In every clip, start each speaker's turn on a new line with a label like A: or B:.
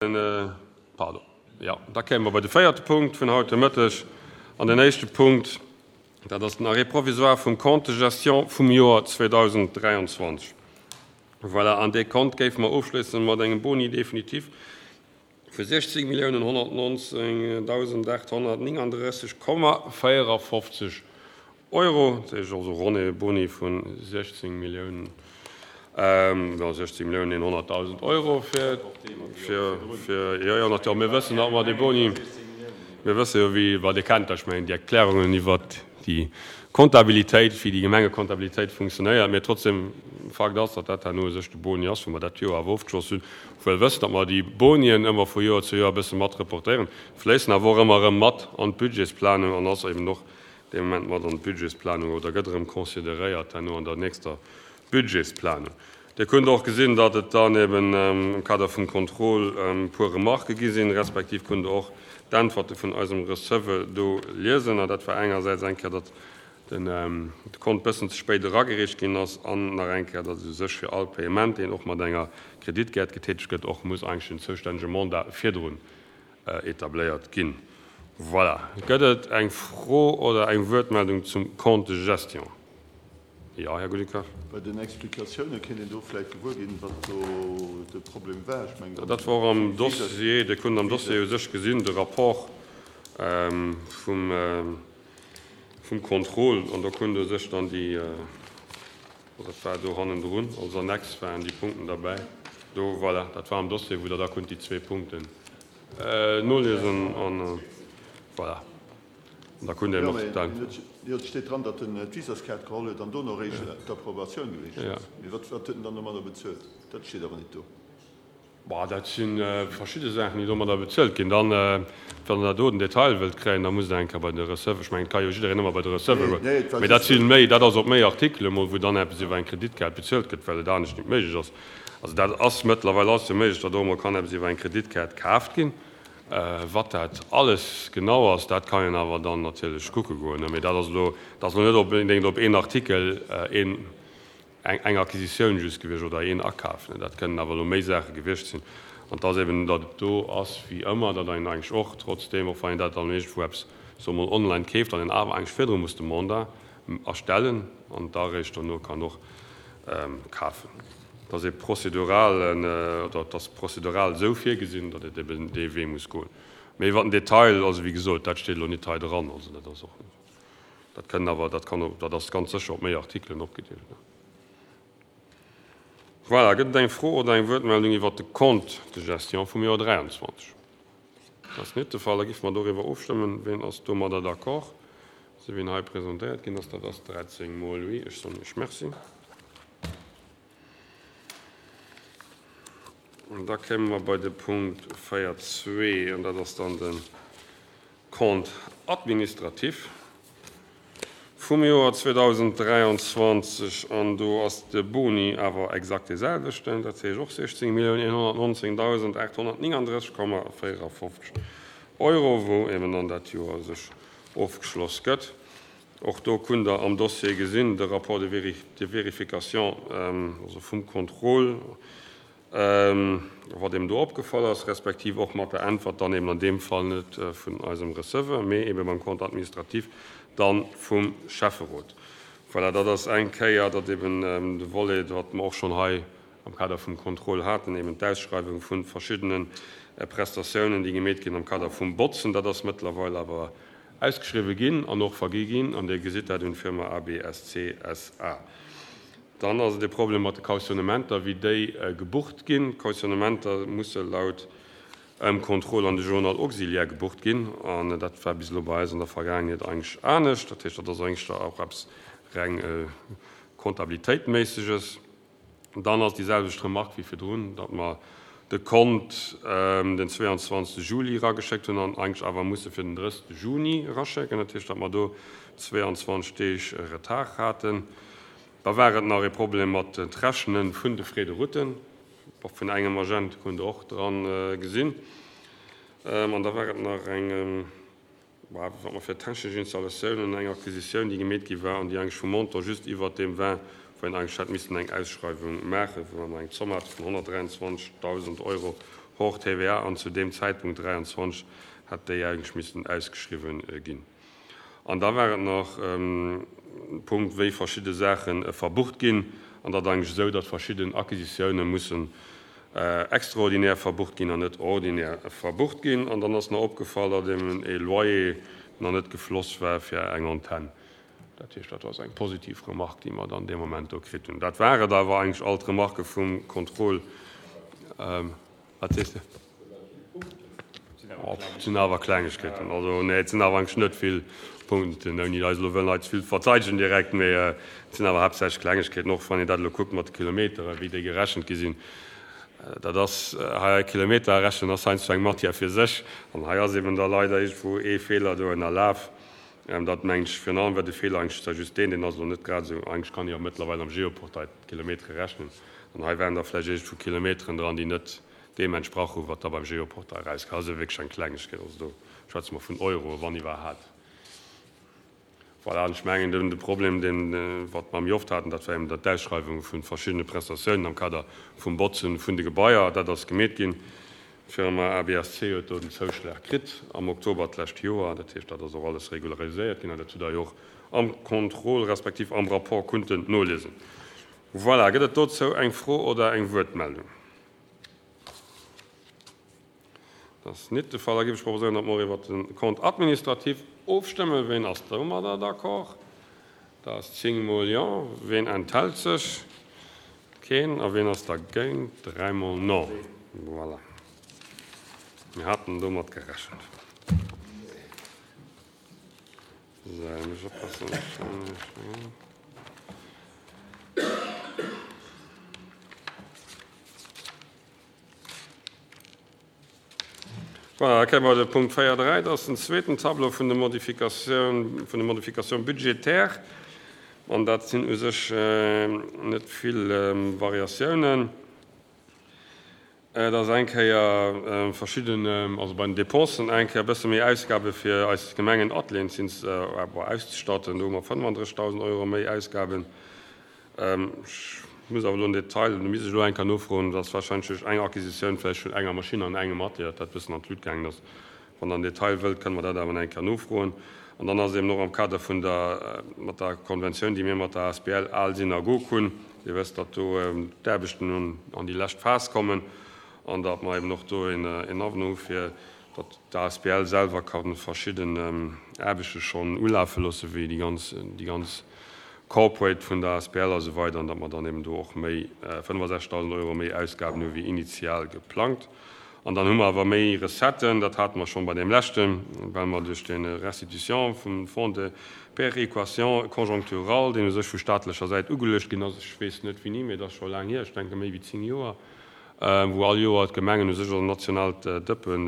A: Pardon. Jo, da kéime mer bei de véierte Punkt vun haut de Mëtteg. An den éischte Punkt, dat ass den Arrêt provisoire vum Compte de gestion vum Joer 2023. Voilà, an dee Compte géife mer ofschléisse mat engem Boni définitif vu 16 Milliounen 119 839,54 Euro, dat heescht also ronn ee Boni vu 16 Milliounen, jo 16 Milliounen 100.000 Euro fir, fir, fir, jo, jo, natierlech, mir wëssen, datt mer dee Boni, mir wësse jo wéi, well Dir kennt ech mengen déi Erklärungen iwwert déi Comptabilitéit, wéi déi Gemengecomptabilitéit funktionéiert, mee trotzdem, Fakt ass, datt dat herno u sech de Boni ass, wou mer dat Joer awer ofgeschloss hunn, wëll wëssen, datt mer déi Bonien ëmmer vu Joer zu Joer e bësse mat reportéieren, fléissen awer och ëmmer erëm mat an d'Budgetsplanung an ass eben och dee Moment mat an d'Budgetsplanung oder gëtt erëm consideréiert herno an der nächster Budgetsplanung. Dir kunnt och gesinn, datt et dann eben am Kader vum Contrôle e puer Remarquë gi sinn, respektiv kunnt Der och d'Äntwerte vun eisem Receveur do liesen. An dat war engersäits eng Kéier, datt de Kont bëssen ze spéit eragereecht ginn ass an nach eng Kéier, datt et u sech fir all Paiement, deen och mat enger Kreditkaart getätegt gëtt, och muss eigentlech den zoustännege Mandat virdrun etabléiert ginn. Voilà. Gëtt et eng Fro oder eng Wuertmeldung zum Compte de gestion? Jo, Här Goudicard.
B: Bei den Explikatioune kéint een do vläicht gewuer ginn, wat do de Problem war. Ech mengen,
A: Dat war och am Dossier. Dir kunnt am Dossier u sech gesinn, de Rapport vum Contrôle, an do kunnt u sech dann déi, Dat war do hannendrun, als Annex waren déi Punkten derbäi. Do, voilà, dat war am Dossier, wou Der da kunnt déi zwee Punkten noliesen an voilà, an da kunnt Der och dann.
B: Jo, et steet dran, datt en d'Visaskaart geholl huet an dono eréischt d'Approbatioun gereecht ass. Mee wat huet en dann domadder bezuelt? Dat steet awer net do.
A: Bah, dat si verschidde Saachen, déi domadder bezuelt ginn. Dann, wann Der do den Detail wëllt kréien, da musst Der eng Kéier bei de Receveur, ech mengen, et ka jo jiddereen ëmmer bei de Receveur goen, mee dat si méi, dat ass op méi Artikele mol, wou dann eppes iwwer eng Kreditkaart bezuelt gëtt, well et anescht net méiglech ass. Also dat ass mëttlerweil ass jo méiglech, datt och emol kann eppes iwwer eng Kreditkaart kaaft ginn. Wat dat alles genau ass, dat kann een awer dann natierlech kucke goen. Mee dat ass elo, dat ass elo net onbedéngt op een Artikel, een. Eng Acquisitioun just gewiescht oder een Akaf, dat kënnen awer elo méi Saache gewiescht sinn. An et ass eben, datt et do ass wéi ëmmer, datt een eigentlech och trotzdeem, och wann een dat dann iergendwou eppes, soe mol, online keeft, datt een awer eigentlech virdru muss de Mandat erstellen an da eréischt dono kann och kafen. Et ass ee prozeduralen, oder et ass prozedural esou virgesinn, datt et eben dee Wee muss goen. Mee iwwer den Detail, also wéi gesot, dat steet elo nit hei dran, also dat ass och. Dat kënnen awer, dat kann, dat ass ganz sécher op méi Artikelen opgedeelt. Voilà, gëtt et eng Fro oder eng Wuertmeldung iwwert de Compte de gestion vum Joer 23? Dat ass net de Fall. Da géife mer doriwwer ofstëmmen. Ween ass domadder d'accord, esou wéi en hei presentéiert ginn ass? Dat ass 13 mol oui. Ech soen Iech Merci. An da kéime mer bei de Punkt 4.2, an dat ass dann de Compte administratif vum Joer 2023, an do ass de Boni awer exakt dee selwechten, dat heescht och 16.119.839,54 Euro, wou eben dann dat Joer sech ofgeschloss gëtt. Och do kunnt Der am Dossier gesinn, de Rapport de vérification, also vum Contrôle, Wat eben do opgefall ass, respektiv och mat der Äntwert dann eben an deem Fall net vun eisem Receveur, mee ebe beim Compte administratif dann vum Schäfferot. Voilà, dat ass eng Kéier, datt eben de Volet, wat mer och schonn hei am Kader vum Contrôle haten, eben d'Ausschreiwung vu verschiddene Prestatiounen, déi gemeet ginn am Kader vum Botzen, dat ass mëttlerweil awer ausgeschriwwen ginn an och vergi ginn an Dir gesitt dat un d'Firma ABSC SA. Dann ass et e Problem mat de Cautionnementer, wéi déi gebucht ginn. D'Cautionnementer musse laut Contrôle an de Journal auxiliaire gebucht ginn. An dat war bis elo bei eis an der Vergaangenheet eigentlech anescht. Dat heescht, dat ass eigentlech da och eppes reng Comptabilitéitméisseges. Dann ass déi selwecht Remarque wéi virdrun, datt mer de Kont den 22. Juli erageschéckt hunn an eigentlech awer musse fir den 30. Juni eraschécken. Dat heescht, datt mer do 22 Deeg Retard haten. Da war et nach ee Problem mat d'Rechnen vun de Frais de route vun engem Agent, kunnt Der och dran gesinn. An da war et nach eng, wat mer fir technesch Installatiounen, eng Acquisitioun, déi gemeet gi war an déi eigentlech vum Montant just iwwert deem war, wou een eigentlech hätt missten eng Ausschreiwung maachen, wou mer eng Zomm hate vun 123.000 Euro. Hors TVA an zu deem Zäitpunkt 23 hätt déi eigentlech missten ausgeschriwwen ginn. An da war et nach e Punkt, wéi verschidde Saache verbucht ginn. An dat eigentlech esou, datt verschidden Acquisitioune mussen extraordinär verbucht ginn an net ordinär verbucht ginn. An dann ass nach opgefall, datt eben e Loyer nach net gefloss war fir eng Antenn. Dat heescht, dat ass eng positiv Remarque, déi mer dann dee Moment do kritt hunn. Dat war et awer eigentlech all d'Remarquë vum Contrôle. Wat sees de? Et sinn awer Klengegkeeten. Also, nee, et sinn awer eigentlech net vill Punkten, ouni eis elo wëllen hei ze vill verteidegen direkt, mee et sinn awer haaptsächlech Klengegkeeten, och wann een dat elo kuckt mat de Kilometeren, wéi déi gerechent gi sinn. Dat ass hei, Kilometer rechnen ass heiansdo eng Matière fir sech. An hei ass eben da leider iergendwou ee Feeler do ënnerlaf. Dat mengen ech, virun allem war de Feeler eigentlech da just deen, deen ass elo net grad esou, eigentlech kann ee jo mëttlerweil am Geoportail d'Kilometere rechnen, an hei waren da vläicht iergendwou Kilometeren dran, déi net deem entsprach hu wat da beim Geoportail erauskoum. Also wierklech eng Klengegkeet, also do schwätze mer vun Euroe wann iwwerhat. Voilà, an ech mengen de Problem, deen wat mer méi oft haten, dat war eben dat d'Ausschreiwung vu verschiddene Prestatiounen am Kader vum Botzen vun de Gebaier, dat ass gemeet ginn. D'Firma ABSC huet do den Zouschlag kritt am Oktober d'lescht Joer. Dat heescht, dat ass och alles regulariséiert ginn an dat hutt Der jo och am Contrôle respektiv am Rapport kunnten noliesen. Voilà, gëtt et dozou eng Fro oder eng Wuertmeldung? Dat ass nit de Fall. Da géif ech proposéieren, datt mer och iwwert de Compte administratif ofstëmmen. Ween ass domadder d'accord? Dat ass 10 mol Jo. Ween enthält sech? Keen. A ween ass dergéint? Dräimol Non. Voilà. Mir haten domat gerechent. Sou, muss ech oppassen. Voilà, da kréie mer de Punkt 4, 3, dat ass den zweeten Tableau vun de Modifikatioun, vun de Modifications budgétaires. An dat sinn u sech net vill Variatiounen. Et ass eng Kéier verschidden, also bei den Dépensen eng Kéier e bësse méi Ausgabe fir eis Gemengenatelieren auszestatten. Do hu mer 35.000 Euro méi Ausgaben. Ech muss awer elo en Detail, do misst ech elo eng Kéier nofroen, dat ass warscheinlech duerch eng Acquisitioun vläicht vun enger Maschinn an engem Atelier, datt dat e bëssen an d'Lut gaangen ass. Wann Der en Detail wëllt, kënne mer dat awer nach eng Kéier nofroen. An dann ass et eben och am Kader vun der, mat der Konventioun, déi mir mat der asbl Al Synagog hunn, Dir wësst, datt do d'Aarbechten an déi lescht Phas kommen an datt mer eben och do en Avenant hu fir datt d'ASBL selwer ka verschidden Aarbechte schonn ulafe loosse wéi déi ganz, déi ganz Corporate vun der asbl a sou weider an datt mer dann eben do och méi, 65.000 Euro méi Ausgaben hu wéi initial geplangt. An dann hu mer awer méi Recetten, dat hate mer schonn bei deem leschten, well mer duerch déi Restitution vum Fonds de péréquation conjoncturale, deen u sech vu staatlecher Säit ugeluecht ginn ass, ech weess net wéini, mee et ass scho laang hier, ech denke méi wéi 10 Joer, wou all Joer d'Gemengen u sech also nationaalt Dëppe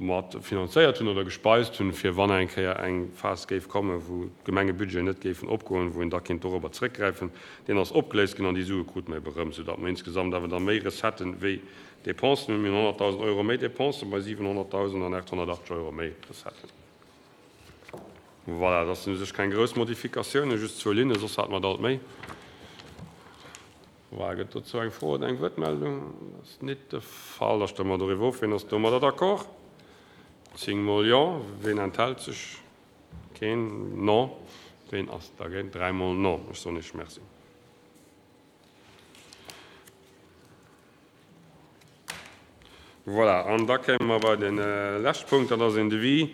A: mat finanzéiert hunn oder gespeist hunn, fir wann eng Kéier eng Phas géif kommen, wou d'Gemengebudgeten net géifen opgoen, wou een da kéint dorobber zrëckgräifen. Deen ass opgeléist ginn an déi Sue krute mer ebe rëm, soudatt mer insgesamt awer da méi Recetten wéi Dépensen hunn. Mir hunn 100.000 Euro méi Dépensen bei 700.000 an 880 Euro méi Recetten. Voilà, dat sinn u sech keng grouss Modifikatiounen, just zwou Linnen, soss hate mer der alt méi. Voilà, gëtt dozou eng Fro oder eng Wuertmeldung? Dat ass nit de Fall. Da stëmme mer doriwwer of. Wien ass domadder d'accord? 10 mol Jo. Wien enthält sech? Keen. Non. Wien ass dergéint? 3 mol Non. Ech soen Iech Merci. Voilà, an da kéime mer bei de leschte Punkt, dat ass een Devis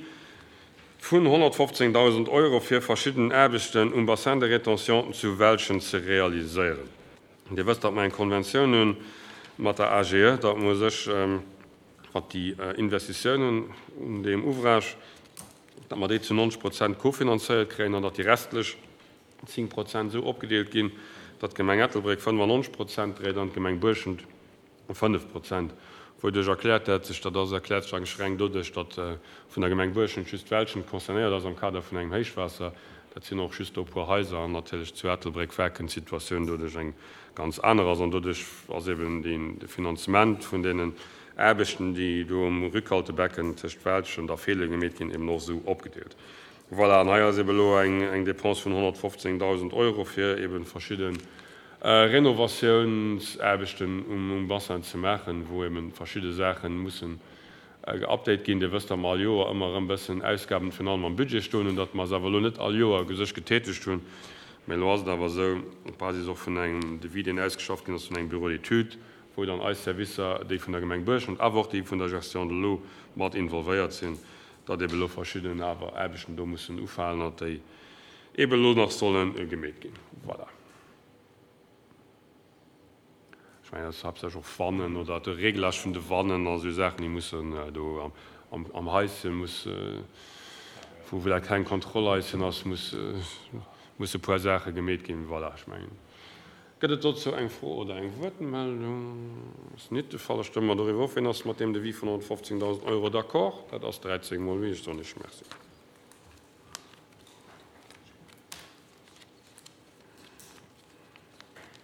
A: vun 115.000 Euro fir verschidden Aarbechten um Bassin de rétention zu Welschen ze realiséieren. Dir wësst, datt mer eng Konventioun hu mat der AGE, datt mer u sech, wat déi Investitiounen un deem Ouvrage, datt mer déi zu 90 Prozent kofinanzéiert kréien an datt déi restlech 10 Prozent esou opgedeelt ginn, datt d'Gemeng Ettelbréck 95 Prozent dréit an d'Gemeng Buerschent 5 Prozent. Wouduerch erkläert dat sech? Dat ass erkläert sech eigentlech reng doduerch, datt vun der Gemeng Buerschent just d'Welschent concernéiert ass am Kader vun engem Héichwaasser. Dat sinn och just do e puer Haiser an natierlech zu Ettelbréck Werken d'Situatioun doduerch eng ganz aner ass. An doduerch ass eben de Finanzement vun deenen Aarbechten, déi do um Rückhaltebecken tëscht Welschent a Feelen gemeet ginn, eben och esou opgedeelt. Voilà, an hei ass eben elo eng Dépense vun 115.000 Euro fir eben verschidden. Renovatiounsaarbechten um Bassin ze maachen, wou eben verschidde Saache mussen geupdate ginn. Dir wësst, datt mer all Joer ëmmer erëm bëssen Ausgaben virun allem am Budget stoen hunn, datt mer se awer elo net all Joer u sech getätegt hunn. Mä elo ass et awer esou, op Basis och vun engem Devis, deen ausgeschafft ginn ass vun engem Bureau d'études, wou dann eis Servicer, déi vun der Gemeng Buerschent, awer och déi vun der Gestion de l'eau mat involvéiert sinn, datt eben elo verschidden awer Aarbechten do mussen ufalen an datt déi eben elo nach solle gemeet ginn. Voilà. Ech mengen, dat ass haaptsächlech och Wannen oder de Réglage vun de Wannen a sou Saachen, déi mussen do am Haische muss, wou dat keng Kontrollhaischen ass, muss, musse puer Saache gemeet ginn. Voilà, ech mengen. Gëtt et dozou eng Fro oder eng Wuertmeldung? Ass nit de Fall. Da stëmme mer doriwwer of. Wien ass mat deem Devis vun 115.000 Euro d'accord? Dat ass 13 mol wéi. Ech soen Iech Merci.